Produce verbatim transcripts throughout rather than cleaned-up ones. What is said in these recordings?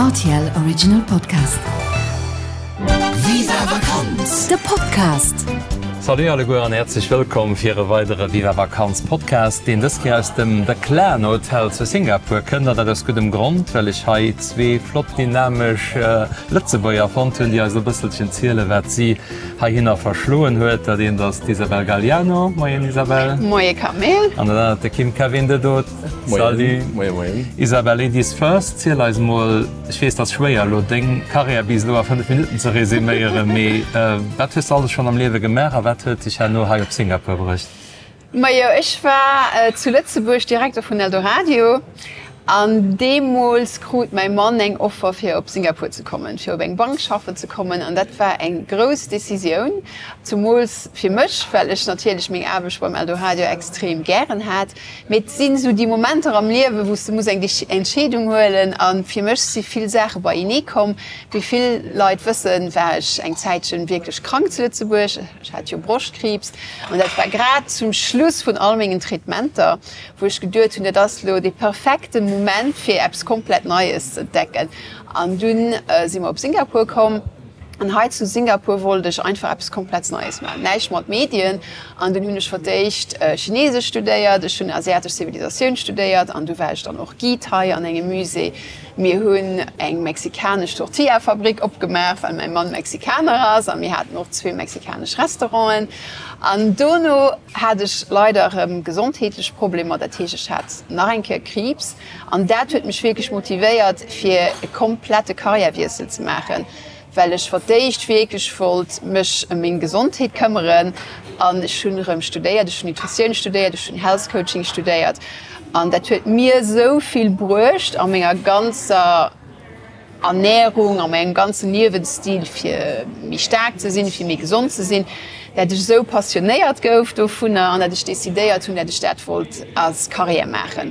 R T L Original Podcast. Viva Vakanz! De Podcast. Salut alleguer an häerzlech wëllkomm fir e weidere Viva Vakanz Podcast, deen dës Kéier aus dem The Clan Hotel zu Singapur kënnt. An dat aus guddem Grond, well ech hei zwee flott dynamesch Lëtzebuerger fonnt hunn, déi eis e bësselchen zielen, wat si heihinner verschloen huet. Dat eent ass d'Isabel Galliano. Moien Isabel. Moie Camille. An dat anert de Kim Kevin de Dood. Salut. Moien, moien. Isabel, Ladies first, ziel eis mol, ech weess, dat ass schwéier elo deng Karriär bis elo a fënnef Minutten ze resuméieren, mee wat hues de alles schonn am Liewe gemaach a wat huet dech herno hei op Singapur bruecht? Majo, ech war zu Lëtzebuerg Direkter vun Eldoradio an deemools krut mäi Mann eng Offer fir op Singapur ze kommen, fir op eng Bank schaffen ze kommen an dat war eng grouss Decisioun, zumools fir mech, well ech natierlech meng Aarbecht beim Eldoradio extrem gären hat. Mee et sinn esou déi Momenter am Liewen, wou s de muss eng Entscheedung huelen a fir mech si vill Saache beienee komm. Wéi vill Leit wëssen, war ech eng Zäitchen wierklech krank zu Lëtzebuerg. Ech hat jo Broschtkriibs an dat war grad zum Schluss vun all mengen Traitementer, wou ech geduet hunn, dat ass elo dee perfekte Moment fir eppes komplett Neies ze entdecken. An dunn si mer op Singapur komm an hei zu Singapur wollt ech einfach eppes komplett Neies maachen, näischt mat Medien. An dunn hunn ech fir d'éischt Chinesesch studéiert, ech hunn asiatesch Zivilisatioun studéiert an du war ech dann och Guide hei an engem Musée. Mir hunn eng mexikanesch Tortilla-Fabrik opgemaach, well mäi Mann Mexikaner ass a mir haten och zwee mexikanesch Restauranten. An dono hat ech leider erëm gesondheetlech Problemer, dat heescht ech hat nach eng Kéier Kriibs an dat huet mech wierklech motivéiert fir e komplette Karriärwiessel ze maachen, well ech fir d'éischt wierklech wollt mech ëm meng Gesondheet këmmeren an ech hunn erëm studéiert, ech hunn Nutritioun studéiert, ech hunn Health Coaching studéiert an dat huet mir esou vill bruecht a menger ganzer Ernährung, a mengem ganzen Liewensstil fir méi staark ze sinn, fir méi gesond ze sinn, dat ech esou passionéiert gouf dovunner an dat ech decidéiert hunn, dat ech dat wollt als Carrière maachen.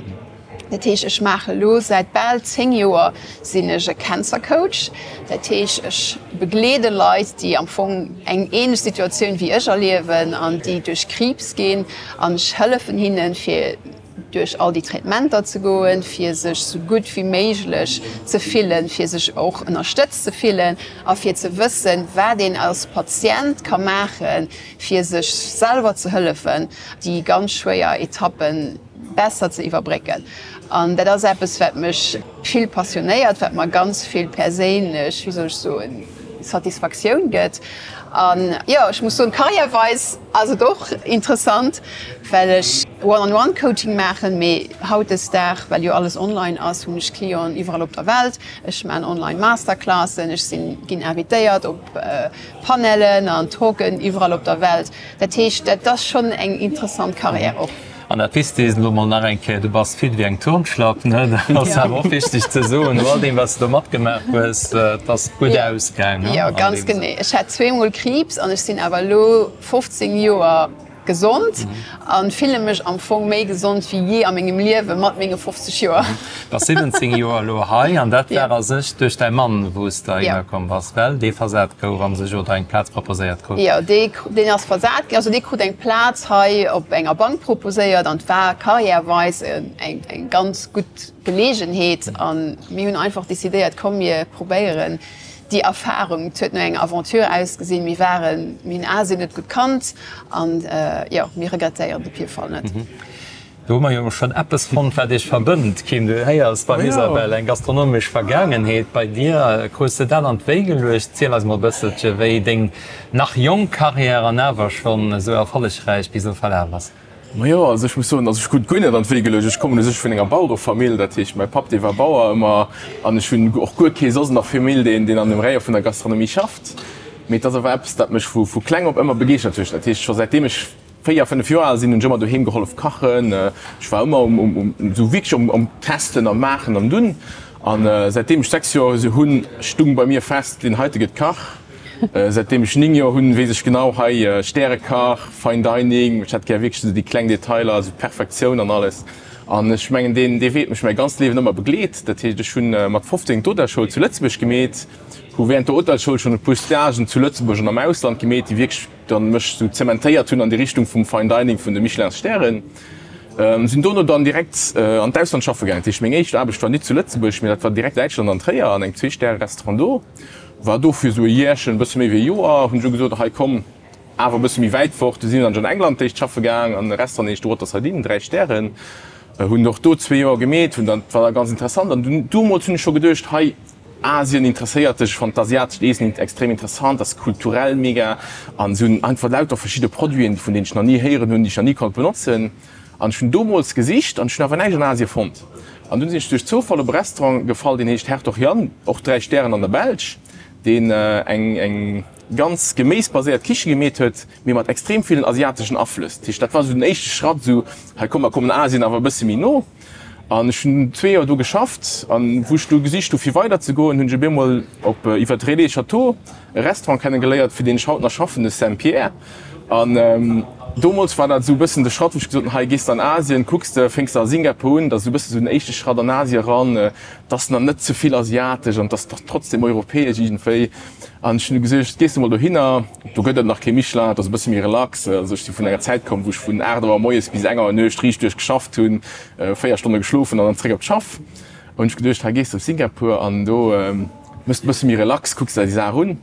Dat heescht, ech maache lo säit bal zéng Joer sinn ech e Cancer Coach. Dat heescht, ech begleede Leit, déi am Fong eng ähnlech Situatioun wéi ech erliewen an déi duerch Kriibs ginn an ech hëllefen hinnen, fir duerch all déi Traitementer ze goen, fir sech sou gutt wéi méiglech ze fillen, fir sech och ënnerstëtzt ze fillen a fir ze wëssen, wat een als Patient ka maachen, fir sech selwer ze hëllefen, déi ganz schwéier Etappen besser ze iwwerbrécken. An dat ass eppes, wat mech vill passionéiert, wat mer ganz vill perséinlech, wéi soll ech soen, Satisfaktioun gëtt. An jo, ech muss soen, karriärweis ass et och interessant, well ech One-on-one-Coaching maachen, mee hautdesdag, well jo alles online ass, hunn ech Clienten iwwerall op der Welt. Ech maachen online Masterclassen, ech sinn, ginn invitéiert op Panelen an Talken iwwerall op der Welt. Dat heescht, dat ass schonn eng interessant Karriär och. An dat Wichtegst elo mol nach eng Kéier, du bass fit wéi eng Turnschlapp, ne? Dat ass awer och wichteg ze soen, no all deem, wat s de do matgemaach hues, et ass gutt ausgaang, ne? Jo, ganz genee. Ech hat zweemol Kriibs an ech sinn awer elo fofzéng Joer gesond an fille mech am Fong méi gesond wéi jee a mengem Liewe mat menge fofzeg Joer. Bass siwwenzéng Joer elo hei an dat war a sech duerch däi Mann, wou s de heihinner komm bass, well dee versat gouf a sech oder eng Plaz proposéiert krut? Jo, dee deen ass versat ginn, also dee krut eng Plaz hei op enger Bank proposéiert an et war karriärweis eng eng ganz gutt Geleegenheet an mir hunn einfach decidéiert, komm mir probéieren déi Erfarung. Et huet no enger Aventure ausgesinn, mir waren, mir hunn Asien net gutt kannt an jo, mir regrettéieren et op jidde Fall net. Do hu mer jo schonn eppes fonnt, wat iech verbënnt, Kim. Du héiers beim Isabel eng gastronomesch Vergaangenheet. Bei dir krus de dat an d'Wéi geluecht. Ziel eis mol e bësselche wéi deng nach jonk Karriär an awer schonn esou erfollegräich bis elo verlaf ass. Majo, also ech muss soen, also ech krut guer net an d'Wéi geluecht. Ech kommen u sech vun enger Bauerefamill, dat heescht mäi Papp dee war Bauer ëmmer an ech hunn och guer kee soss an der Famill deen deen an dem Rayon vun der Gastronomie schafft. Mee et ass awer eppes dat mech vu vu kleng op ëmmer begeeschtert huet. Dat heescht scho säitdeem ech véier, fënnef Joer al sinn, hunn ech ëmmer doheem gehollef kachen. Ech war ëmmer um um um esou wierklech um um Testen a Maachen an Dunn. An säitdeem ech sechs Joer hunn, stung bei mir fest, deen heite gëtt Kach. Säitdeem ech néng Joer hunn, weess ech genau, hei Stärekach, Fine Dining, ech hätt gär wierklech esou déi kleng Detailer, esou Perfektioun an alles. An ech mengen, deen dee Wee huet mech mäi ganzt Liewen ëmmer begleet. Dat heescht, ech hunn mat fofzéng d'Hotelschoul zu Lëtzebuerg gemeet, hu während der Hotelschoul schonn e puer Stagen zu Lëtzebuerg an am Ausland gemeet, déi wierklech dann mech esou zementéiert hunn an déi Richtung vum Fine Dining, vun de Michelin-Stären. Sinn dono dann direkt an d'Ausland schaffe gaangen. Dat heescht, meng éischt Aarbecht war nit zu Lëtzebuerg, mee dat war direkt Däitschland an Tréier an engem Zwee-Stäre-Restaurant do. War do fir esou e Jäerchen, e bësse méi wéi e Joer, hunn ech du gesot, hei komm, awer e bësse méi wäit fort. Du sinn ech an England d'éischt schaffe gaang an e Restaurant, deen heescht Waterside Inn, dräi Stären. Hunn och do zwee Joer gemeet, hunn dann, war da ganz interessant. An dunn, domols hunn ech scho geduecht, hei, Asien interesséiert dech, ech fannen d'asiatescht Eessen extrem interessant, ass kulturell mega an se hunn einfach lauter verschidde Produiten, vun deenen ech nach ni héieren hunn, déi ech nach ni konnt benotzen. An ech hunn domols gesicht an ech hunn awer näischt an Asien fonnt. An dunn sinn ech duerch Zoufall op e Restaurant gefall, deen heescht Hertog Jan, och dräi Stären an der Belsch, deen eng eng ganz geméisbaséiert Kiche gemeet huet, mee mat extrem villen asiateschen Aflëss. Dat heescht, dat war esou den éischte Schratt, esou, hei komm, mer kommen Asien awer e bësse méi no. An ech hunn zwee Joer do geschafft an wou ech du gesicht hu fir weider ze goen, hunn ech op eemol op iwwer Relais Châteaux e Restaurant kenne geléiert, fir deen ech haut nach schaffen, de Saint Pierre. An domols war dat esou e bëssen de Schratt, wou ech gesot hunn, hei gees de an Asien, kucks de, fénks de a Singapur un, dat ass esou e bësse sou den éischte Schratt an Asien eran, 't ass nach net ze vill asiatesch an 't ass trotzdem europäesch iergendwéi. An ech hunn du gesuergt, gees de mol dohinner, do gëtt et nach kee Michelin, et ass e bësse méi relax. Also ech si vun enger Zäit komm, wou ech vun aacht Auer moies bis eng Auer Nuecht riicht duerch geschafft hunn, véier Stonne geschlofen an dann zréck op d'Schaff. Hunn ech geduecht, hei gees de op Singapur an do mëss de e bësse méi relax, kucks der déi Saach un.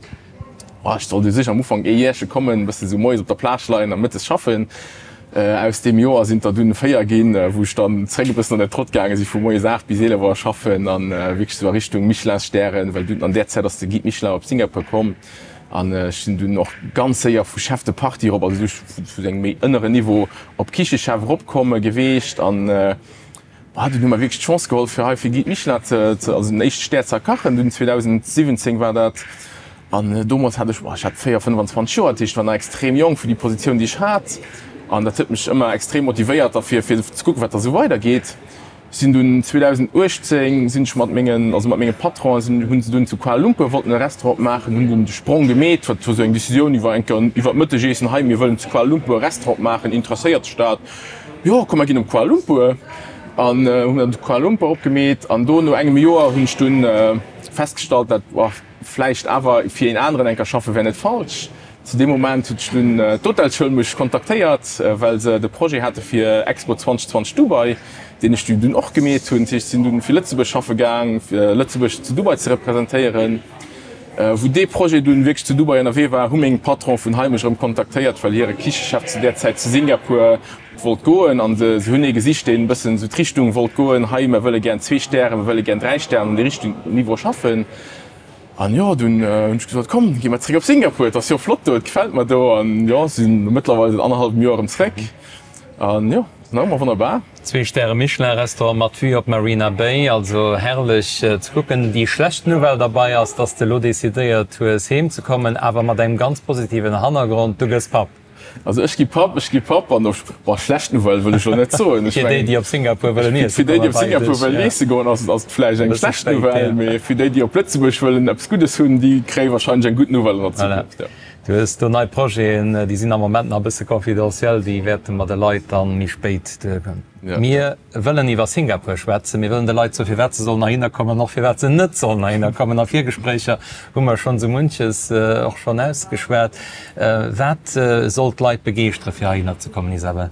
Ech sollt u sech am Ufank ee Jäerche kommen, e bësse sou moies op der Plage leien a mëttes schaffen. Aus deem Joer sinn et der dunn véier ginn, wou ech dann zréck e bëssen an den Trott gaange si vu moies aacht bis eelef Auer schaffen an wierklech esou a Richtung Michelin-Stären, well dunn an där Zäit ass de Guide Michelin op Singapur komm an ech sinn dunn och ganz séier vu Chef de partie erop, also vu engem méi ënneren Niveau op Kichechef eropkomm geweecht an dunn hu mer wierklech d'Chance geholl fir hei fir Guide Michelin ze, also den éischte Stär ze erkachen dunn zweedausendsiwwenzéng war dat. An domols hat ech, ech hat véier, fënnwanzwanzeg Joer, dat heescht, ech war nach extrem jonk fir déi Positioun, déi ech hat. An dat huet mech ëmmer extrem motivéiert da fir, fir ze kucken, wat da sou weidergeet. Sinn dunn zweedausenduechtzéng sinn ech mat mengen, also mat menge Patronen sinn, hu se dunn zu Kuala Lumpur wollten e Restaurant opmaachen, hunn dunn de Sprong gemeet, wat war sou eng Decisioun iwwer eng Kéier iwwer d'Mëttegeessen, hei mir wëllen zu Kuala Lumpur e Restaurant opmaachen, interesséiert dech dat? Jo, komm mer ginn op Kuala Lumpur. An hunn dann zu Kuala Lumpur opgemeet an do no engem Joer hunn ech dunn festgestallt, dat, Vläicht awer fir een aneren enker schaffe wär net falsch. Zu deem Moment huet dunn d'Hotelschoul mech kontaktéiert, well se de Projet hate fir Expo zweedausendzwanzeg Dubai, deen ech dunn och gemeet hunn. Dat heescht, ech sinn dunn fir Lëtzebuerg schaffe gaang, fir Lëtzebuerg zu Dubai ze representéieren. Wou dee Projet dunn wierklech zu Dubai ënnerwee war, hu meng Patron vun hei mech erëm kontaktéiert, well hire Kichechef zu där Zäit zu Singapur wollt goen an se hunn ee gesicht, deen e bëssen esou d'Richtung wollt goen, hei, mer wëlle gären zwee Stären, mer wëlle gären dräi Stären an déi Richtung, Niveau schaffen. An jo, dunn hunn ech gesot, komm, gi mer zréck op Singapur, et ass jo flott do, et gefält mer do. An jo, sinn mëttlerweil säit annerhallwem Joer erëm zréck. An jo, ass nach ëmmer wonnerbar. Zwee Stäre Michelin-Restaurant mat Vue op Marina Bay, also herrlech ze kucken. Déi schlecht Nouvelle derbei ass, dass de elo decidéiert hues heem ze kommen, awer mat engem ganz positiven Hannergrond, du gëss Papp. Also ech gi Papp, ech gi Papp an och, boah, schlecht Nouvelle wëll ech elo net soen. Ech Fir déi, mengen, déi op Singapur wëllen iesse fir déi, déi kommen, op Singapur bei dech, wëllen ja. iesse goen, ass ass et vläicht E eng bësse schlecht spéit, Nouvelle, ja. mee fir déi, déi op Lëtzebuerg wëllen eppes Guddes hunn, déi kréie wahrscheinlech eng gutt Nouvelle an der Voilà. Zukunft, ja. Du hues do nei Projeten, déi sinn am Moment nach e bësse confidentiel, déi wäerte mer de Leit dann méi spéit duergoen. Ja. Mir wëllen iwwer Singapur schwätzen, mir wëllen de Leit soen, firwat se sollen heihinner kommen an och firwat se net sollen heihinner kommen. A Virgespréicher hu mer schonn esou munches och schonn ausgeschwat. Wat soll d'Leit begeeschtere fir heihinner ze kommen, Isabel?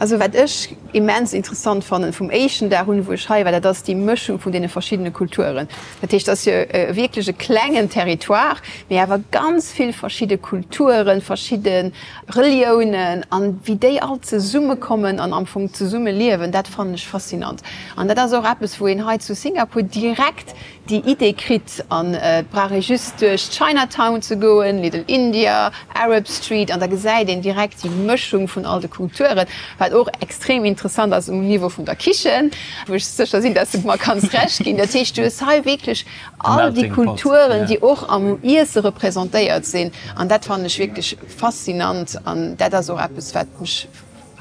Also wat ech immens interessant fannen vum éischten Dag un, wou ech hei war, dat ass déi Mëschung vun deene verschiddene Kulturen. Dat heescht, et ass jo wierklech e klengen Territoire, mee awer ganz vill verschidde Kulturen, verschidde Reliounen an wéi déi all zesummekommen an am Fong zesumme liewen, dat fannen ech faszinant. An dat ass och eppes, wou een hei zu Singapur direkt déi Idee kritt. An et brauch ee just duerch d'Chinatown ze goen, Little India, Arab Street, an da gesäit een direkt déi Mëschung vun all de Kulturen, wat och extrem interessant ass um Niveau vun der Kichen, wou ech sécher sinn, dass de mer kanns Recht ginn. Dat heescht, du hues hei wierklech all déi Kulturen, déi och am Iesse representéiert sinn. An dat fannen ech wierklech faszinant an dat ass och eppes, wat mech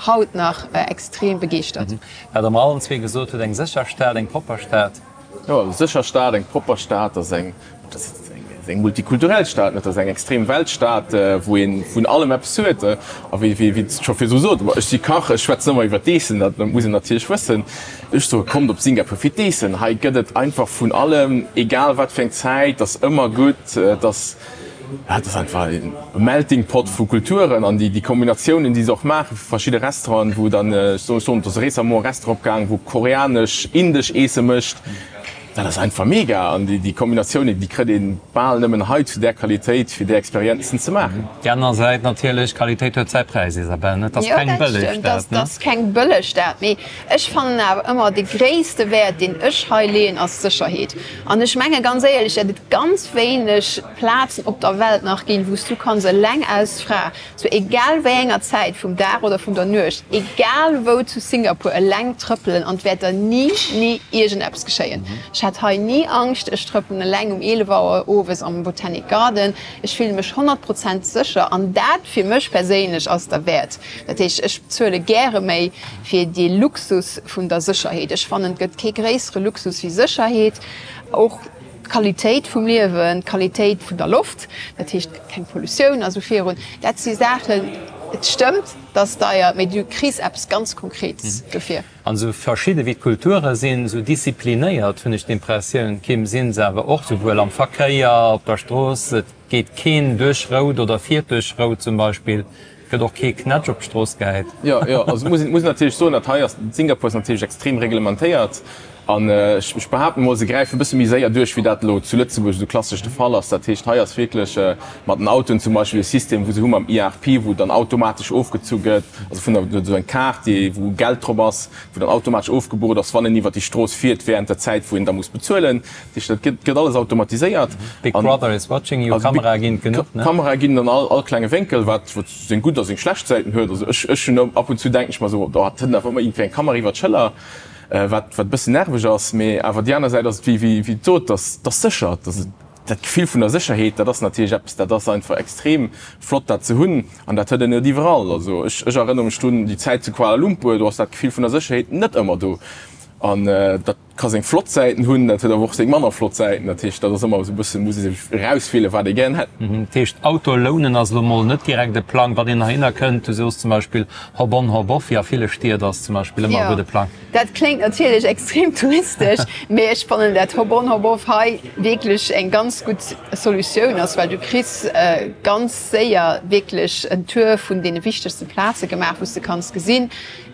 haut nach extrem begeeschtert. Wat Der mer allen zwee gesot hutt, eng sécher Stad, eng propper Stad. Jo, eng sécher Stad, eng propper Stad, dat ass eng, dat ass eng multikulturell Stad, dat ass eng extrem Weltstad, wou ee vun allem eppes huet. A wéi wéi et scho virdru sot, ech si Kach, ech schwätzen ëmmer iwwer d'Eessen, dat muss een natierlech wëssen. Ech soe kommt op Singapur fir d'Eessen, hei gëtt et einfach vun allem, egal wat fir eng Zäit, et ass ëmmer gutt, et ass dat ass einfach e Melting Pot vu Kulturen an déi déi Kombinatiounen, déi se och maache vu verschidde Restauranten, wou dann, ech soen, do ass récemment e Restaurant opgaang, wou koreanesch, indesch Eesse mécht. Dat ass einfach mega an déi Kombinatiounen, déi kritt ee bal nëmmen hei zu där Qualitéit, fir déi Experienzen ze maachen. Déi aner Säit natierlech, Qualitéit huet säi Präis, Isabelle, ne? Et ass keng bëlleg Stad, ne? Jo, dat stëmmt, et ass keng bëlleg Stad, mee ech fannen awer ëmmer, de gréisste Wäert, deen ech hei leeën, ass d'Sécherheet. An ech menge ganz éierlech, datt et ganz wéineg Plazen op der Welt nach ginn, wou s du kanns eleng als Fra, zu egal wéi enger Zäit vum Dag oder vun der Nuecht, egal wou zu Singapur, eleng trëppelen an et wäert der ni, ni iergendeppes geschéien. Ech hat hei ni Angscht. Ech trëppelen eleng um eelef Auer owes am Botanic Garden. Ech fille mech honnert Prozent sécher an dat fir mech perséinlech ass derwäert. Dat heescht, ech bezuele gäre méi fir dee Luxus vun der Sécherheet. Ech fannen, et gëtt kee gréissere Luxus wéi Sécherheet. Och d'Qualitéit vum Liewen, d'Qualitéit vun der Loft, dat heescht keng Pollutioun a sou virun, dat si Saachen, et stëmmt, et ass deier, mee du kriss eppes ganz Konkretes dofir. An esou verschidde wéi d'Kulture sinn, esou disziplinéiert, hunn ech d'Impressioun, Kim, sinn se awer och, souwuel am Verkéier, op der Strooss, et geet keen duerch rout oder fiert duerch rout zum Beispill, et gëtt och kee Knätsch op d'Strooss gehäit. Jo, jo, also muss een natierlech soen, dat hei ass, Singapur ass natierlech extrem reglementéiert. An ech behaapten emol, se gräifen e bësse méi séier duerch, wéi dat elo zu Lëtzebuerg esou klassesch de Fall ass. Dat heescht, hei ass wierklech mat den Autoen zum Beispill e System, wou se hu mam I R P, wou dann automatesch ofgezu gëtt, also vun der, esou eng Kaart, déi, wou Geld drop ass, wou dann automatesch ofgebucht ass, wann een iwwert déi Strooss fiert während der Zäit, wou een da muss bezuelen. Dat heescht, dat gëtt, gëtt alles automatiséiert. Big Brother is watching you, Kamerae ginn et genuch, ne? Kamerae ginn an all, all klenge Wénkel, wat, wat seng gutt a seng schlecht Säiten huet. Also ech, ech hunn ab und zu denken ech mer esou, oh, et hëlt awer ëmmer iergendwéi eng Kamera iwwert d'Schëller. Wat wat e bëssen nerveg ass. Mee awer déi aner Säit ass et, wéi wéi wéi et sot, dass dass sécher, dass et dat Gefill vun der Sécherheet, dat ass natierlech eppes, dat ass einfach extrem flott dat ze hunn an dat huet een net iwwerall. Also ech ech erënnere mech drun, déi Zäit zu Kuala Lumpur, do ass dat Gefill vun der Sécherheet net ëmmer do an dat ka seng flott Säiten hunn, dat huet awer och seng manner flott Säiten. Dat heescht, dat ass ëmmer esou e bëssen, muss ee sech erauswielen, wat ee gären hätt. Dat heescht, Auto lounen ass elo mol net direkt e Plang, wann een heihinner kënnt. Du soos zum Beispill Hop on, hop off, wéi a ville Stied, ass zum Beispill ëmmer e gudde Plang. Dat kléngt natierlech extrem touristesch, mee ech fannen dat Hop on, hop off hei wierklech eng ganz gutt Solutioun ass, well du kriss ganz séier wierklech en Tour vun deene wichtegste Plaze gemaach, wou s de kanns gesinn,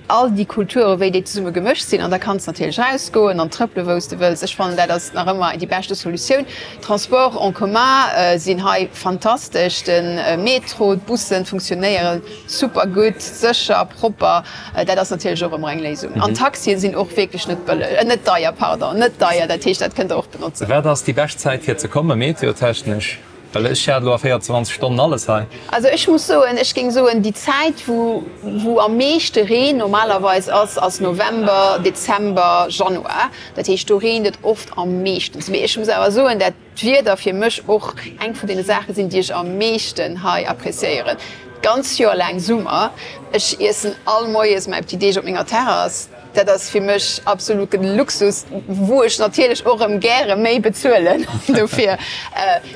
all déi Kulture wéi déi zesumme gemëscht sinn an da kanns de natierlech rausgoen an trëppele wou s de wëlls. Ech fannen dat ass nach ëmmer déi beschte Solutioun. D'Transports en commun sinn hei fantastesch, de Metro, d'Bussen funktionéiere super gutt, sécher, propper. Dat ass natierlech och ëmmer eng Léisung. An d'Taxien sinn och wierklech net bëlleg, net deier, pardon, net deier, dat heescht dat kënnt der och benotzen. Wat ass déi bescht Zäit fir ze kommen, meteotechnesch? Well ech hat elo a véierundzwanzeg Stonnen alles hei. Also ech muss soen, ech géing soen, déi Zäit wou wou am meeschte Reen normalerweis ass, ass November, Dezember, Januar. Dat heescht do reent et oft am meeschtens. Mee ech muss awer soen, dat d'Wieder fir mech och eng vun deene Saache sinn, déi ech am meeschten hei appreciéieren. D'ganz Joer laang Summer. Ech iessen all Moies mäi Petit Déj op menger Terrass. Dat ass fir mech absoluten Luxus, wou ech natierlech och erëm gäre méi bezuelen dofir.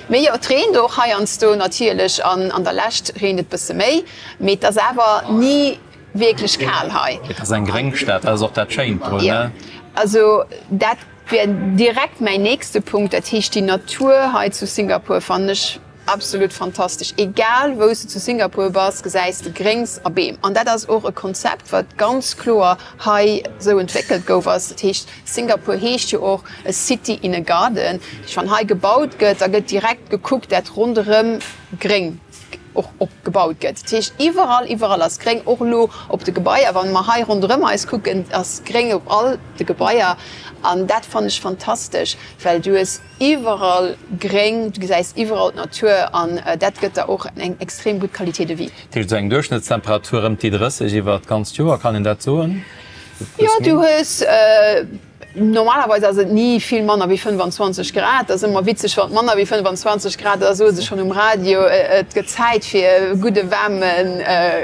Mee jo, et reent och heiansdo natierlech an an der Lescht reent et bësse méi, mee et ass awer ni wierklech kal hei. Et ass eng gréng Stad, dat ass och dat Schéint drun, ne? Jo, also dat wär direkt mäin nächste Punkt. Dat heescht, déi Natur hei zu Singapur fannen ech Absolut fantastesch. Egal wou s de zu Singapur bass, gesäis de Gréngs a Beem. An dat ass och e Konzept, wat ganz kloer hei esou entwéckelt gouf ass. Dat heescht, Singapur heescht jo och a city in a garden. Dat heescht, wann hei gebaut gëtt, da gëtt direkt gekuckt, dat ronderëm gréng och op gebaut gëtt. Dat heescht, iwwerall, iwwerall ass gréng. Och elo op de Gebaier, wann mer hei ronderëm eis kucken, ass gréng op all de Gebaier. An dat fannen ech fantastesch, well du hues Iwwerall gréng, du gesäis iwwerall d'Natur an dat gëtt der och eng extrem gutt Qualité de vie. Dat heescht esou eng Duerchschnëttstemperatur ëm déi drësseg iwwer d'ganzt Joer, kann een dat soen? Jo, du hues, normalerweis ass et ni vill manner wéi fënnefanzwanzeg Grad. Dat ass ëmmer witzeg, wann et manner wéi fënnefanzwanzeg Grad ass, da soe se schonn um Radio, et gëtt Zäit fir e gudde waarme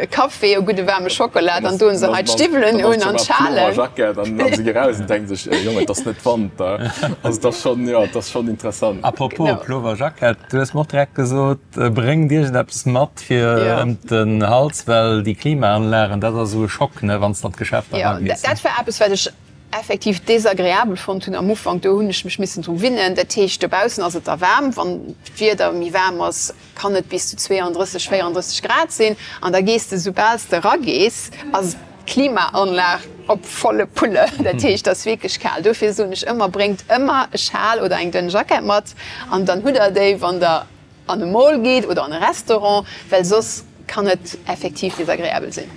Café, e gudde waarme Schokolat an doen se hei d'Stiwwelen un an d'Schalen. Jackett an se gi raus an denken sech, Jong, et ass net Wanter. Also et ass schonn, jo, et ass schonn interessant. Apropos Plover Jackett, du hues mer och direkt gesot, bréngt iergendeppes mat fir ëm den Hals, well déi Klimaanlagen, dat ass esou e Schock, ne, wann s de an d'Geschäfter eragees. Jo, dat war eppes, wat ech effektiv desagreabel fonnt hunn am Ufank, do hunn ech mech missen dru winnen. Dat heescht, dobaussen ass et da waarm, wann d'Wieder méi waarm ass, kann et bis zu zweiunddrësseg, véierunddrësseg Grad sinn an da gees de, soubal s de eragees, ass d'Klimaanlag op volle Pulle. Dat heescht, et ass wierklech kal. Dofir soen ech ëmmer, bréngt ëmmer e Schal oder eng dënn Jackett mat an dann hutt der déi, wann der an e Mall geet oder an e Restaurant, well soss kann et effektiv desagreabel sinn.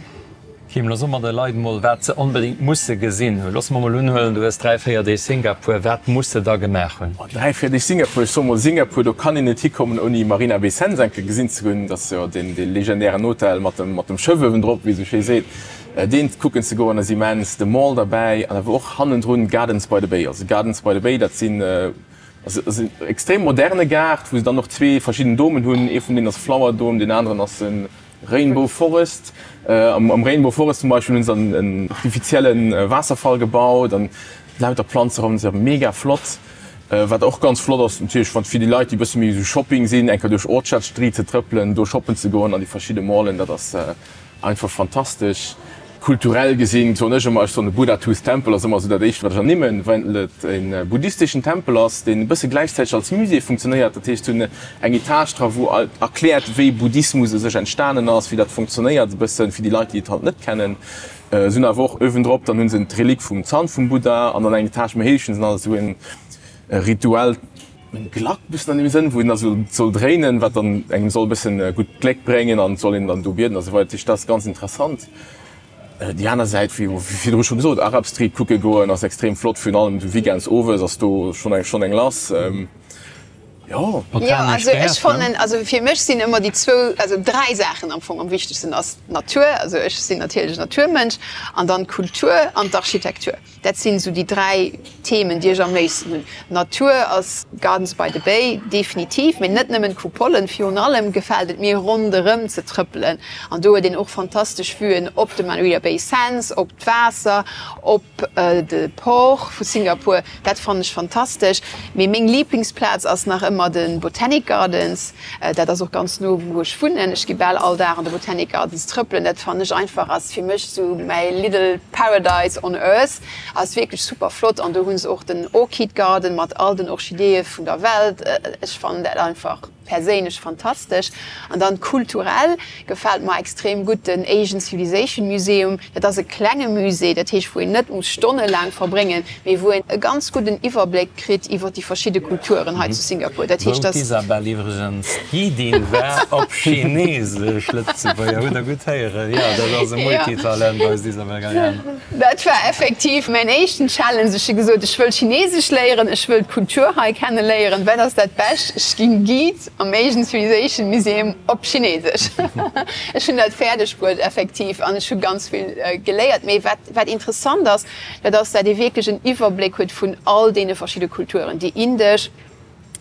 Kim, lo so mer de Leit mol, wat se onbedéngt musse gesinn hunn. Loosse mer mol unhuelen, du hues dräi, véier Deeg Singapur. Wat muss se da gemaach hunn? Oh, dräi, véier Deeg Singapur, ech soe mol Singapur, do kann een net hikommen, ouni Marina Bay Sands eng Kéier gesinn ze hunn. Dat ass jo deen, dee legendären Hotel mat dem, mat dem Schëff uewendrop, wéi ee sou schéi seet. Deen kucken ze goen ass immens. De Mall derbäi an awer och hannendrun Gardens by the Bay. Also Gardens by the Bay, dat sinn, ass en extrem moderne Gaart, wou se dann och zwee verschidden Domen hunn. Ee vun deenen ass Flower Dome, deen aneren ass e Rainbow Forest. Am Rainbow Forest zum Beispill hunn se dann en artifizielle Waasserfall gebaut an lauter Planze ronderëm. Se mega flott. Wat och ganz flott ass natierlech, wann fir déi Leit, déi e bësse méi esou Shopping sinn, eng Kéier duerch Orchard Street ze trëppelen, do shoppen ze goen an déi verschidde Mallen, dat ass einfach fantastesch. Kulturell gesinn, soen ech ëmmer, ech soen de Buddha Tooth Temple ass ëmmer esou dat éischt wat ech ernimmen, well et e buddhisteschen Tempel ass, deen e bësse gläichzäiteg als Musée funktionéiert. Dat heescht, se hunn eng Etage dra wou erkläert wéi Buddhismus u sech entstanen ass, wéi dat funktionéiert e bëssen, fir déi Leit déi et halt net kennen. Se hunn awer och uewendrop, dann hunn se d'Relik vum Zann vum Buddha an dann eng Etage méi héich hunn se nach esou e rituellt Glack bëssen an deem Sënn, wou een da sou soll dréinen, wat dann engem soll e bëssen gutt Gléck bréngen an et soll een dann do bieden a sou weider. Dat heescht, dat ass ganz interessant. Déi aner Säit, wéi virdru scho gesot, Arab Street kucke goen ass extrem flott, virun allem esou weekends owes ass do schonn eng schonn eng lass. Jo. Jo, also ech fannen, also fir mech sinn ëmmer déi zwou, also dräi Saachen am Fong am wichtegsten ass d'Natur, also ech sinn natierlech en Naturmënsch, an dann d'Kultur an d'Architektur. Dat sinn esou déi dräi Themen, déi ech am léifsten hunn. Natur ass Gardens by the Bay, definitiv, mee net nëmmen d'Kupolen. Virun allem gefält et mir ronderëm ze trëppelen an do huet een och fantastesch Vuen op de Marina Bay Sands, op d'Waasser, op de Port vu Singapur. Dat fannen ech fantastesch. Mee meng Liblingsplaz ass nach ëmmer de Botanic Gardens. Dat ass och ganz no wou ech wunnen. Ech gi bal all Dag an de Botanic Gardens trëppelen. Dat fannen ech einfach ass fir mech sou mäi little paradise on earth. Ass wierklech super flott an do hunn se och den Orchid Garden mat all den Orchideeë vun der Welt. Ech fannen dat einfach perséinlech fantastesch. An dann kulturell gefält mer extrem gutt den Asian Civilization Museum. Dat ass e klenge Musée, dat heescht wou een net muss stonnelaang verbréngen, mee wou een e ganz gudden Iwwerbléck kritt iwwer déi verschidde Kulturen hei zu Singapur. Dat Wou heescht dass. d'Isabel iwwregens Guidin war op Chinesesch, Lëtzebuerger, hutt der gutt héieren, jo, dat ass e Multitalent, eist Isabel Galiano. Dat war effektiv mäin éischten Challenge. Ech hu gesot, ech wëll Chinesesch léieren, ech wëll d'Kultur hei kenne léieren. Wat ass dat Bescht? Ech ginn Guide am Asian Civilization Museum op Chinesesch. Ech hunn dat fäerdeg bruet effektiv an ech hu ganz vill geléiert. Mee wat, wat interessant ass, dat ass, dat ee wierklech en Iwwerbléck huet vun all deene verschidde Kulturen, déi indesch,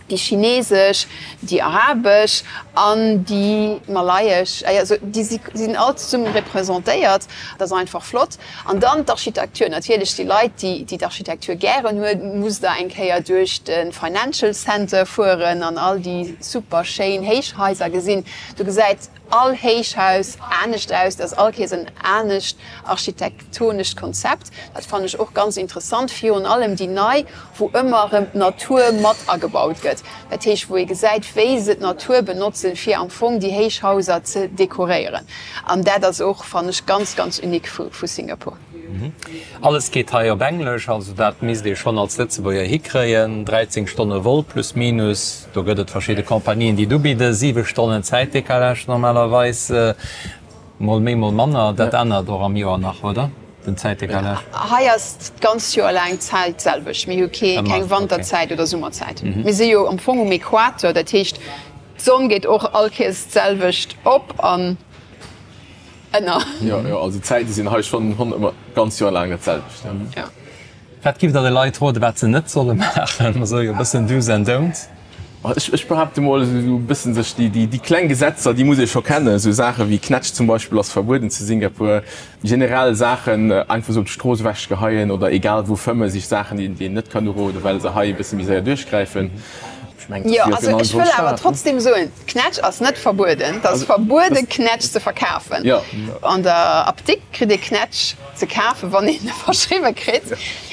déi chinesesch, déi arabesch an déi malayesch, also déi sinn all zesummen representéiert. Dat ass einfach flott. An dann d'Architektur, natierlech déi Leit, déi déi d'Architektur gären hunn, musst der eng Kéier duerch de Financial Center fueren an all déi super schéin Héichhaiser gesinn. Do gesäit all Héichhaus anescht aus, dat ass all Kéiers en anescht architektonescht Konzept. Dat fannen ech och ganz interessant, virun allem déi nei, wou ëmmer erëm d'Natur mat agebaut gëtt. Dat heescht, wou ee gesäit, wéi se d'Natur benotzen, fir am Fong déi Héichhauser ze dekoréieren. An dat ass och, fannen ech, ganz, ganz unique vu Singapur. Alles geet hei op Englesch, also dat misst ee schonn als Lëtzebuerger hikréien. dräizéng Stonne Vol plus minus, do gëtt et verschidde Compagnien, déi et ubidden, siwe Stonnen Zäitdecalage normalerweis, mol méi, mol manner. Dat ännert och am Joer nach, oder, den Zäitdecalage? Hei ass d'ganzt Joer laang d'Zäit d'selwecht. Mir hu keng Wanterzäit oder Summerzäit. Mir si jo am Fong um Equator, dat heescht d'Sonn geet och all Kéiers d'selwecht op an. Ënner. Jo, jo, also d'Zäite sinn hei schonn ëmmer d'ganz Joer laang dat selwecht, jo. Wat giff der de Leit roden, wat se net solle maachen? Mer soe jo e bëssen Do's and Don'ts. Ech, ech behaapte mol, esou e bëssen sech déi, déi, déi kleng Gesetzer, déi muss ee scho kennen. Esou Saache wéi Knätsch zum Beispill ass verbueden zu Singapur. Generell Saachen einfach esou op d'Strooss ewechgeheien oder egal wou fëmmen, si Saachen, déi, déi een net kann uroden, well se hei e bësse méi séier duerchgräifen. Ech mengen, Jo, also ech wëll awer trotzdem soen, Knätsch ass net verbueden. Et ass verbuede Knätsch ze verkafen. An der Apdikt kritt ee Knätsch ze kafen, wann een e verschriwwe kritt.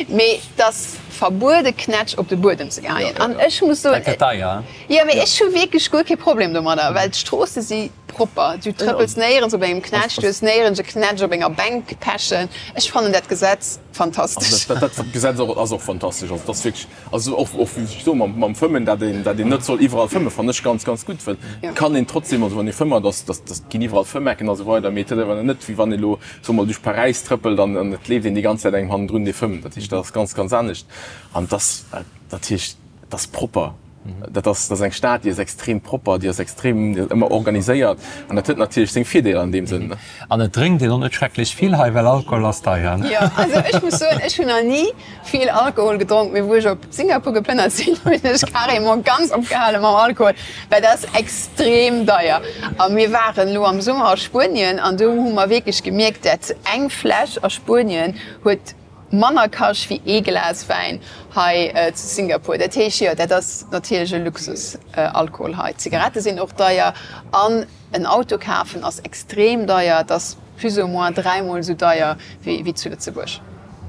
Mee et ass verbuede Knätsch op de Buedem ze geheien. An ech muss soen, Dat gëtt deier. Jo, mee ech hu wierklech guer kee Problem domadder, well d'Stroosse si propper. Du trëppels néierens op engem Knätsch, du hues néierens e Knätsch op enger Bänk pechen. Ech fannen dat Gesetz fantastesch. Dat Gesetz ass och fantastesch. Also, dat ass wierklech, also och, och wéi ech soe mam, mam Fëmmen, dat een, dat een net soll iwwerall fëmmen, fannen ech ganz, ganz gutt, well et kann een trotzdem, also wann ee fëmmert, ass, dat, dat ginn iwwerall Fëmmecken a sou weider, mee et huet awer net, wéi wann ee elo, soe mer, duerch Paräis trëppelt an, an et leeft een déi ganz Zäit engem hannendrun, dee fëmmt. Dat heescht, dat ass ganz, ganz anescht. An et ass, dat heescht, et ass propper. Dat ass, dat ass eng Stad, déi ass extrem propper, déi ass extrem, déi ass ëmmer organiséiert an dat huet natierlech seng Virdeeler an deem Sënn. An et drénkt een och net schrecklech vill hei, well Alkohol ass deier, ne? Jo, also ech muss soen, ech hunn nach ni vill Alkohol gedronk, mee wou ech op Singapur geplënnert sinn, hunn ech carrément ganz opgehale mam Alkohol, well dat ass extrem deier. A mir waren elo am Summer a Spuenien an do hu mer wierklech gemierkt, dat eng Fläsch a Spuenien huet Manner kascht wéi ee Glas Wäin hei zu Singapur. Dat heescht, jo, dat ass natierlech e Luxus, Alkohol hei. D'Zigarette sinn och deier an en Auto kafen ass extrem deier. Et ass plus ou moins dräimol esou deier wéi zu Lëtzebuerg.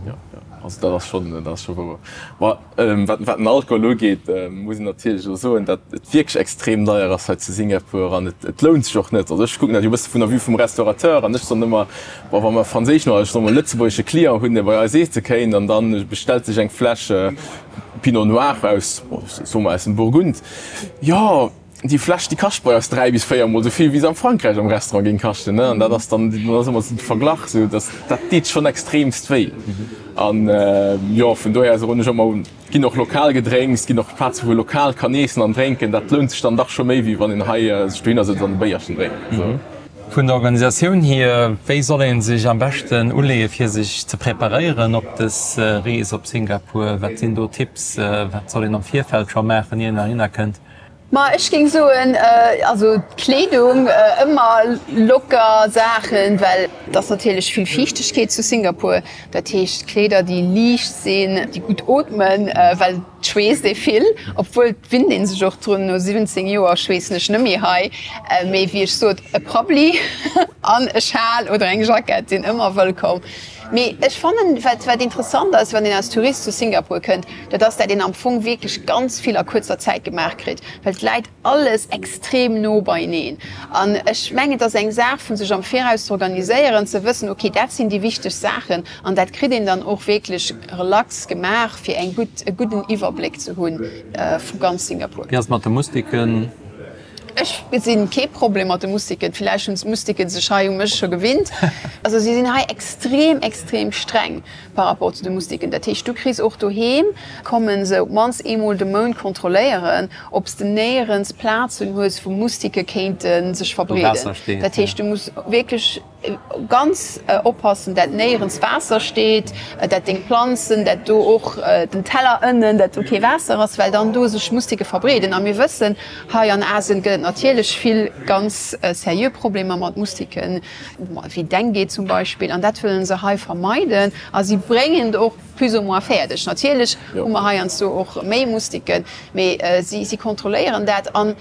Jo, jo, also dat ass schonn, dat ass scho wouer. Ma wat, wat den Alkohol ugeet, muss een natierlech elo soen, datt et wierklech extrem deier ass hei zu Singapur an et, et lount sech och net. Also ech kucken dat jo e bësse vun der Vue vum Restaurateur an ech soen ëmmer, Bon, wa mer franséischen oder ech soe mol lëtzebuergesche Client hunn, dee bei eis eesse kéint an da bestellt sech eng Fläsch Pinot Noir aus, soe mer aus dem Burgund, jo, déi Fläsch, déi kascht bei eis dräi bis véier mol esou vill, wéi se am Frankräich am Restaurant géing kaschten, ne? An dat ass dann, dann ass ëmmer esou de Verglach esou, dass dat deet schonn extremst wéi. An jo, vun dohier soen ech ëmmer, et ginn och lokal Gedrénks, et ginn och Plaze wou ee lokal kann eessen an drénken, dat lount sech dann dach scho méi, wéi wann een hei sech dohinner sëtzt an e Béierchen drénkt. Vun der Organisatioun hier, wéi soll ee sech am beschten uleeë fir sech ze preparéieren op dës Rees op Singapur? Wat sinn do Tipps? Wat soll een am Virfeld scho maachen, ier een heihinner kënnt? Ma ech géing soen, also d'Kleedung, ëmmer locker Saachen, well et ass natierlech vill Fiichtegkeet zu Singapur. Dat heescht Kleeder déi liicht sinn, déi gutt ootmen, well et schweesst ee vill, obwuel et winnt ee sech och drun. No siwwenzéng Joer schweessen ech net méi hei, mee wéi ech sot, e Prabbeli an e Schal oder eng Jackett sinn ëmmer wëllkomm. Mee ech fannen, wat wat interessant ass, wann een als Tourist zu Singapur kënnt, dat ass, dat een am Fong wierklech ganz vill a kuerzer Zäit gemaach kritt, well et läit alles extrem no beieneen. An ech mengen, et ass eng Saach vu sech am Viraus ze organiséieren, ze wëssen, okay, dat sinn déi wichteg Saachen an dat kritt een dann och wierklech relax gemaach, fir eng gutt, e gudden Iwwerbléck ze hu vu ganz Singapur. Wéi ass et mat de Mustiken? Ech gesinn kee Problem mat de Mustiken. Villäicht hunn d'Mustiken sech hei u mech scho gewinnt. Also si sinn hei extrem, extrem streng par rapport zu de Mustiken. Dat heescht, du kriss och doheem, kommen se op d'mannst eemol de Mount kontrolléieren, ob s de néierens Plazen hues, wou Mustike kéinte sech verbreeden. Dat heescht, du muss wierklech Ganz oppassen dat néierens Waasser steet, dat deng Planzen, dat do och den Teller ënnen, dat do kee Waasser ass, well dann do sech Mustike verbreeden. A mir wëssen, hei an Asien gëtt et natierlech vill ganz seriö Problemer mat Mustiken, wéi Dengue zum Beispill, an dat wëllen se hei vermeiden a si bréngen et och plus ou moins fäerdeg. Natierlech hu mer heiansdo och méi Mustiken, mee si kontrolléieren dat. An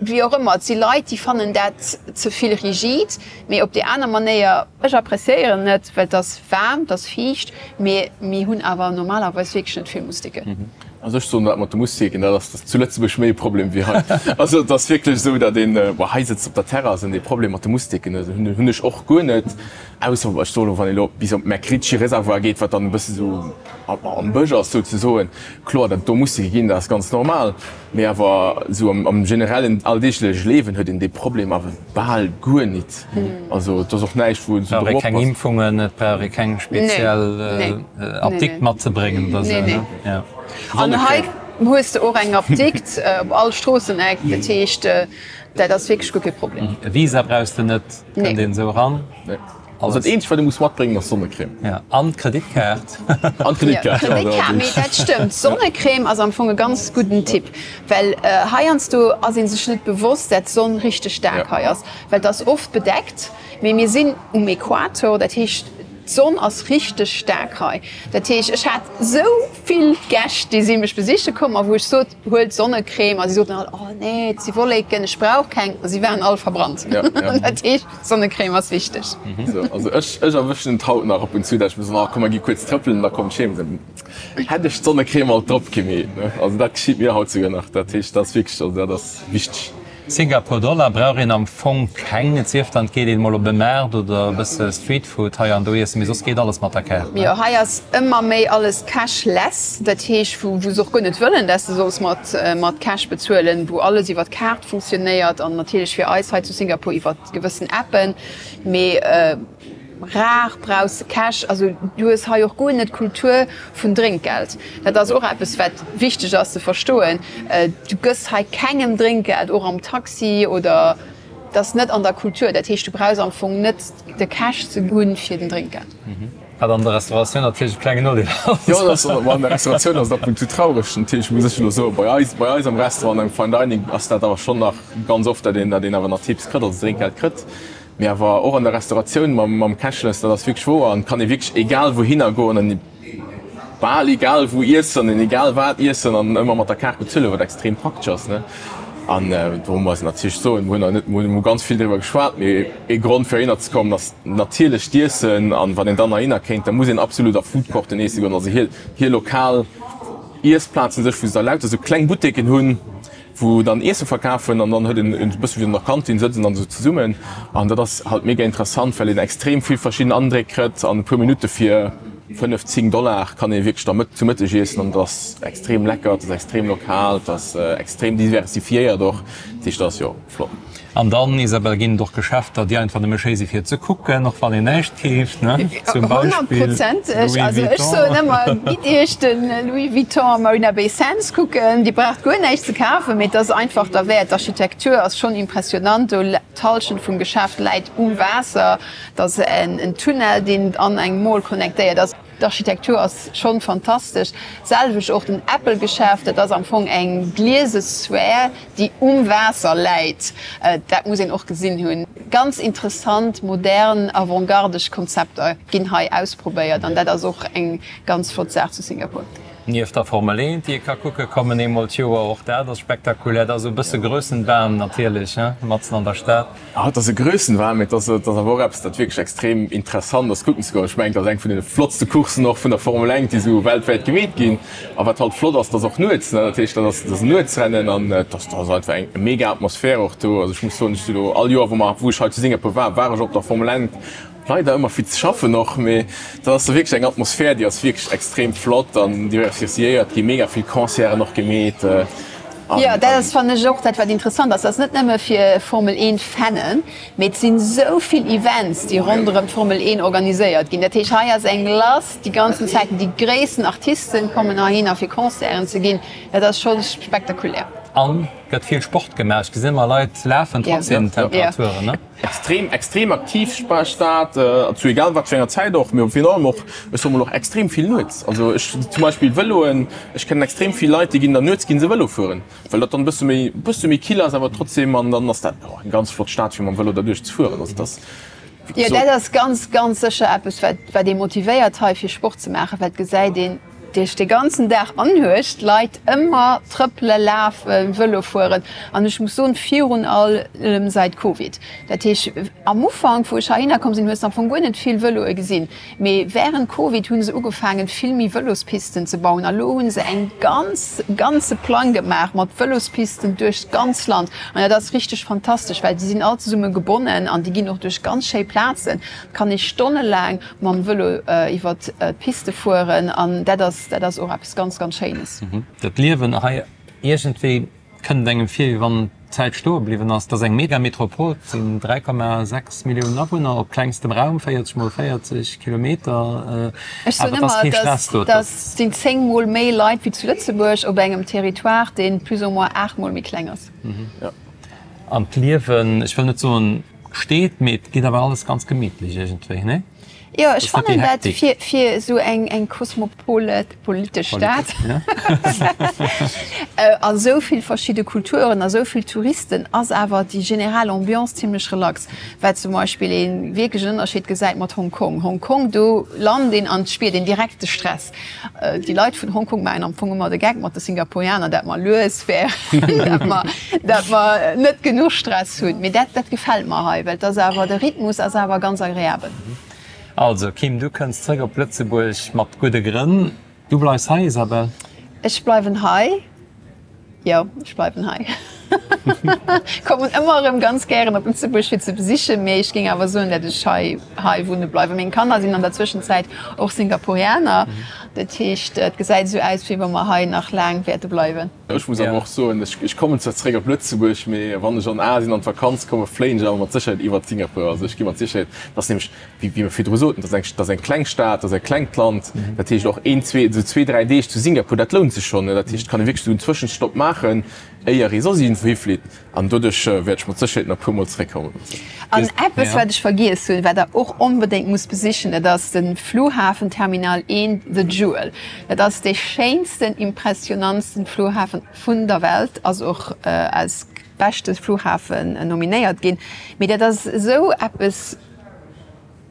Wéi och ëmmer, et si Leit, déi fannen dat ze vill rigid, mee op déi aner Manéier, ech appreciéieren et, well et ass waarm, et ass fiicht, mee mir hunn awer normalerweis wierklech net vill Mustiken. Also ech soen, dat mat de Mustiken, dat ass zu Lëtzebuerg méi e Problem wéi hei. Also et ass wierklech esou, datt een, bon, hei sëtzt op der Terrass an dee Problem mat de Mustiken hunn ech och guer net, ausser, ech soen elo, wann ee elo bis op d'MacRitchie Reservoir geet, wat dann e bësse sou am Bësch ass souzesoen, kloer, datt do Mustike ginn, dat ass ganz normal. Mee awer esou am generellen alldeegleche Liewen huet een dee Problem awer bal guer nit. Also et ass och näischt wou een esou drop oppasst. Et brauch ee keng Impfungen, et brauch ee keng speziell Apdikt matzebréngen oder esou, ne? Nee. An hei hues de och eng Apdikt op all Stroosseneck, dat heescht dat ass wierklech guer kee Problem. E Visa brauchs de net, kënnt een esou eran. Also dat eenzegt wat ee muss matbréngen ass Sonnecrème. Ja, an d'Kreditkaart. An d'Kreditkaart, ja. Kreditkaart, mee dat stëmmt, Sonnecrème ass am Fong e ganz gudden Tipp, well heiansdo ass ee sech net bewosst, dat d'Sonn richteg staark hei ass, well et ass oft bedeckt, mee mir sinn um Equator, dat heescht D'Sonn ass richteg staark hei. Dat heescht, ech hat sou vill Gäscht, déi si mech besiche komm a wou ech sot, huelt Sonnecrème a si soten all, oh nee, et si Wolleken, ech brauch keng. A si waren all verbrannt. Dat heescht, Sonnecrème ass wichteg. Also ech ech erwëschen et haut nach ab und zu, dat ech mir soen, oh komm mer gi kuerz trëppelen, da kommt ech heem, dann hätt ech d'Sonnecrème alt drop gemeet. Also dat geschitt mir haut souguer nach. Dat heescht, dat ass wierklech, also dat ass wichteg. Singapur Dollar brauch een am Fong keng, et sief dann et geet een mol op e Maart oder e bësse Street Food hei an do iessen, mee soss geet alles mat der Kaart, ne? Jo, hei ass ëmmer méi alles cashless, dat heescht wou wou se och guer net wëllen dass de solls mat mat Cash bezuelen, wou alles iwwer d'Kaart funktionéiert an natierlech fir eis hei zu Singapur iwwer gewëssen Appen, mee Rar brauchs de Cash. Also du hues hei och guer net d'Kultur vun Drénkgeld. Dat ass och eppes wat wichteg ass ze verstoen. Du gëss hei kengem Drénkgeld, och am Taxi oder, dat ass net an der Kultur. Dat heescht du brauchs am Fong net de Cash ze hunn fir den Drénkgeld. Wat an der Restauratioun natierlech e klengen Nodeel ass. Jo, dat ass, an der Restauratioun ass et ab und zu traureg natierlech, muss ech elo soen. Bei eis, bei eis am Restaurant, am Fine Dining ass dat awer schonn nach ganz oft, datt een, datt een awer nach Tipps kritt, also Drénkgeld kritt. Mee awer och an der Restauratioun mam Cashless, dat ass wierklech wouer an et kann ee wierklech egal wouhinner goen an bal egal wou iessen an egal wat iessen an ëmmer mat der Kaart bezuelen, wat extrem praktesch ass, ne. An do muss een natierlech soen, mir hunn nach net, mir hu ganz vill driwwer geschwat, mee ee Grond fir heihinner ze kommen ass natierlech d'Iessen. An wann een dann heihinner kéint, da muss een absolut a Foodcourten iesse goen, also hir hir lokal Iessplazen sech, wou se da lauter sou kleng Buteken hunn, wou dann Iesse verkafen an dann huet een e bësse wéi an der Kantin, sëtzen dann esou zesummen an dat ass halt mega interessant, well een extrem vill verschidden Andréck kritt an e puer Minutte fir fënnef, zéng Dollar kann ee wierklech da mëtt zu Mëtteg iessen an dat ass extrem lecker, et ass extrem lokal, et ass extrem diversifiéiert och, dat heescht dat ass jo flott. An dann, Isabelle, ginn et och Geschäfter, déi einfach nëmme schéi si fir ze kucken, och wann een näischt keeft, ne? Zum Beispill Honnertprozenteg. Louis Also ech soen Vuitton. ëmmer, gitt Iech de Louis Vuitton am Marina Bay Sands kucken. Dir braucht guer näischt ze kafen, mee et ass einfach derwäert. D'Architektur ass schonn impressionant. Do, d'Hallschent vum Geschäft läit um Waasser. Et ass en Tunnel, deen an eng Mall connectéiert ass. D'Architektur ass schonn fantastesch. D'selwecht och den Apple-Geschäft, dat ass am Fong eng gliese Sphär, déi um Waasser läit. Dat muss een och gesinn hunn. Ganz interessant, modern, avantgardesch Konzepter ginn hei ausprobéiert an dat ass och eng ganz flott Saach zu Singapur. Nieft der Formel eent, déi ee ka kucke kommen, eemol d'Joer, och dat ass spektakulär. Dat ass esou e bësse Grössenwahn natierlech, he, matzen an der Stad. Ah, et ass e Grössenwahn, mee et ass, et ass awer och eppes, dat wierklech extrem interessant ass kucken ze goen. Ech mengen, et ass eng vun deene flottste Courssen och vun der Formel eent, déi esou weltwäit gemeet ginn. A wat halt flott ass, et ass och nuets, ne, dat heescht, dat ass, dat ass en Nuetsrennen an et ass, et ass einfach eng mega Atmosphär och do. Also ech muss soen, ech si lo all Joer, wou mer, wou ech hei zu Singapur war, war ech op der Formel eent. Leider ëmmer vill ze schaffen och, mee dat ass wierklech eng Atmosphär, déi ass wierklech extrem flott an diversifiéiert, gi mega vill Concerten och gemeet. Jo, dat ass fannen ech och dat wat interessant ass, dat ass net nëmme fir Formel eent Fannen, mee et sinn esou vill Events déi ronderëm d'Formel eent organiséiert ginn. Dat heescht hei ass eng lass déi ganzen Zäiten, déi gréissten Artisten kommen heihinner fir Concerten ze ginn, dat ass scho spektakulär. An gëtt vill Sport gemaach, ech gesinn ëmmer Leit lafen trotz den Temperaturen, ne? Extrem extrem aktiv Stad, zu egal wat fir enger Zäit och, mee virun allem och, ech soe mol och extrem vill nuets. Also ech zum Beispill Vëloen, ech kennen extrem vill Leit, déi ginn dann nuets gi se Vëlo fueren, well dat dann e bësse méi bësse méi kill ass awer trotzdem an dann ass dat och eng ganz flott Stad fir mam Vëlo derduerch ze fueren. Also dat ass Jo, dat ass ganz ganz sécher eppes wat wat ee motivéiert hei fir Sport ze maachen, well et gesäit een duerch de ganzen Dag anhuecht d'Leit ëmmer trëppele, lafen, Vëlo fueren an ech muss soen, virun allem säit Covid. Dat heesch, am Ufank wou ech heihinner komm sinn, hues de am Fong guer net vill Vëloe gesinn, mee wärend Covid hu se ugefaangen vill méi Vëlospisten ze bauen a lo hu se eng ganz ganze Plang gemaach mat Vëlospisten duerch d'ganz Land an dat ass richteg fantastesch, well déi sinn all zesumme gebonnen an déi ginn och duerch ganz schéi Plazen. Et kann ee stonnelaang mam Vëlo iwwert d'Piste fueren an dat ass, dat ass och eppes ganz, ganz Schéines. Dat Liewen hei, iergendwéi kënnt et engem vir, wéi wann d'Zäit stoe bliwwen ass. Et ass eng Megametropol, et sinn dräi Komma sechs Milliounen Awunner op klengstem Raum, véierzeg mol véierzeg Kilometer, Ech soen awer et ass ëmmer, kee Stress do. dat sinn zéng mol méi Leit wéi zu Lëtzebuerg op engem Territoire, dee plus ou moins aacht mol méi kleng ass. An d'Liewen, ech wëll net soen steet, mee et geet awer alles ganz gemittlech iergendwéi, nee? Jo, ech fannen dat fir, fir esou eng, eng kosmopolitesch Stad a sou vill verschidde Kulturen a sou vill Touristen ass awer déi general Ambiance zimlech relax. Wat zum Beispill ee wierklech en Ënnerscheed gesäit mat Hong Kong. Hong Kong, do lant een an et spiert een direkt de Stress. Déi Leit vun Hong Kong maachen am Fong ëmmer de Geck mat de Singapurianer, dat mer lues wären, dat mer, dat mer net genuch Stress hunn. Mee dat, dat gefält mer hei, well et ass awer, de Rhythmus ass awer ganz agreabel. Also Kim, du kënns zréck op Lëtzebuerg mat gudde Grënn. Du bleifs hei, Isabelle? Ech bleiwen hei, jo, ech bleiwen hei. Kommen ëmmer erëm ganz gären op Lëtzebuerg fir ze besichen, mee ech géing awer soen, dat ech hei hei wunne bleiwen. Meng Kanner sinn an der Zwëschenzäit och Singapurianer, dat heescht et gesäit esou aus, wéi wa mer hei nach laang wäerte bleiwen. Ech muss awer och soen, ech kommen zwar zeréck op Lëtzebuerg, mee wann ech an Asien an d'Vakanz kommen, fléien ech awer mat Sécherheet iwwert Singapur. Also ech gi mat Sécherheet, dat ass nämlech, wéi mir virdru soten, dat ass eng, dat ass eng kleng Stad, dat ass e klengt Land. Dat heescht och een, zwee, esou zwee, dräi Deeg zu Singapur, dat lount sech schonn. Dat heescht, et kann ee wierklech esou en Zwëschenstopp maachen, éier ee soss iergendwou hiflitt. An doduerch wäert ech mat Sécherheet nach e puer Mol zeréckkommen. An eppes, wat ech vergiess hunn, wat Der och onbedéngt musst besichen, dat ass de Flughafen Terminal eent, The Jewel. Dat ass dee schéinsten, impressionantsten Flughafen vun der Welt, ass och als beschte Flughafen nominéiert ginn. Mee dat ass esou eppes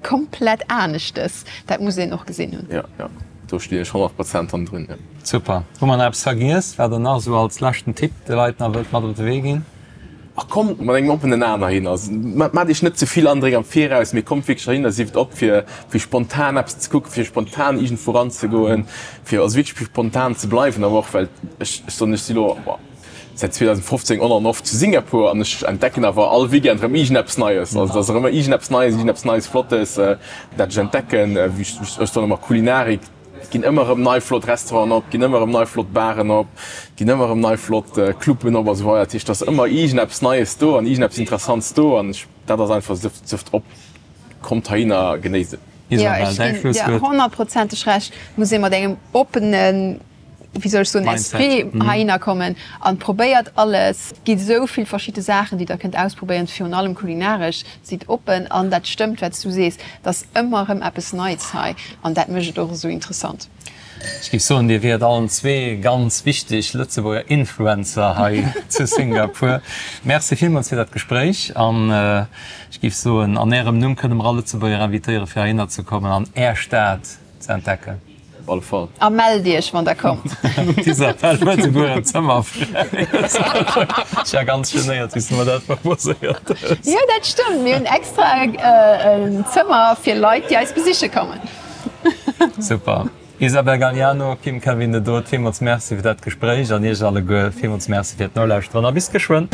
komplett aneschtes, dat muss een och gesinn hunn. Jo, jo, do stinn ech honnert Prozent hannendrun, jo. Super. Hu mer nach eppes vergiess, wat Der nach esou als leschten Tipp de Leit nach wëllt mat op de Wee ginn? Ach, kommt mat engem oppenen Aen heihin. Also maacht iech net ze vill Andréck am Viraus, mee kommt wierklech heihin a sift op fir fir spontan eppes ze kucken, fir spontan iergendwou ranzegoen, fir also wierklech fir spontan ze bleiwen. Awer och well ech, ech soen, ech si lo säit zweedausendfofzéng on an off zu Singapur an ech entdecken awer all Weekend erëm iergendeppes Neies. Also et ass erëm ëmmer iergendeppes Neies, iergendeppes Neies Flottes, dat ech entdecken. Wéi ech, ech soen ëmmer Kulinarik. Et ginn ëmmer erëm nei flott Restauranten op, et ginn ëmmer erëm nei flott Baren op, et ginn ëmmer erëm nei flott Cluben op a sou weider. Dat heescht, et ass ëmmer iergendeppes Neies do an iergendeppes Interessants do an ech, dat ass einfach, sëft op, kommt heihin a genéisst et. Jo, Isabelle, ech däi ginn dir Schlusswuert. honnertprozenteg Recht. Et muss ee mat engem oppenen, wéi soll ech soen, Mindset. Esprit heihinner kommen an probéiert alles. Et gi sou vill verschidde Saachen, déi der kënnt ausprobéieren, virun allem kulinaresch. Sidd oppen an dat stëmmt wat s du sees, et ass ëmmer erëm eppes Neits hei an dat mécht et och esou interessant. Ech géif soen, Dir wiert allen zwee ganz wichteg Lëtzebuerger Influencer hei zu Singapur. Merci villmools fir dat Gespréich an ech géif soen, an Ärem Numm kënne mer all Lëtzebuerger invitéieren, fir heihinner ze kommen an Är Stad ze entdecken. Op alle Fall. A mellt iech wann der kommt. D'Isabelle huet esouguer en Zëmmer fräi. Ech war ganz genéiert wéi s du mer dat proposéiert hues. Jo dat stëmmt, mir hunn extra en Zëmmer fir Leit déi eis besiche kommen. Super. Isabelle Gagliano, Kim Kevin de Dood, villmools Merci fir dat Gespréich an iech alleguer villmools Merci fir d'Nolauschteren a bis geschwënn.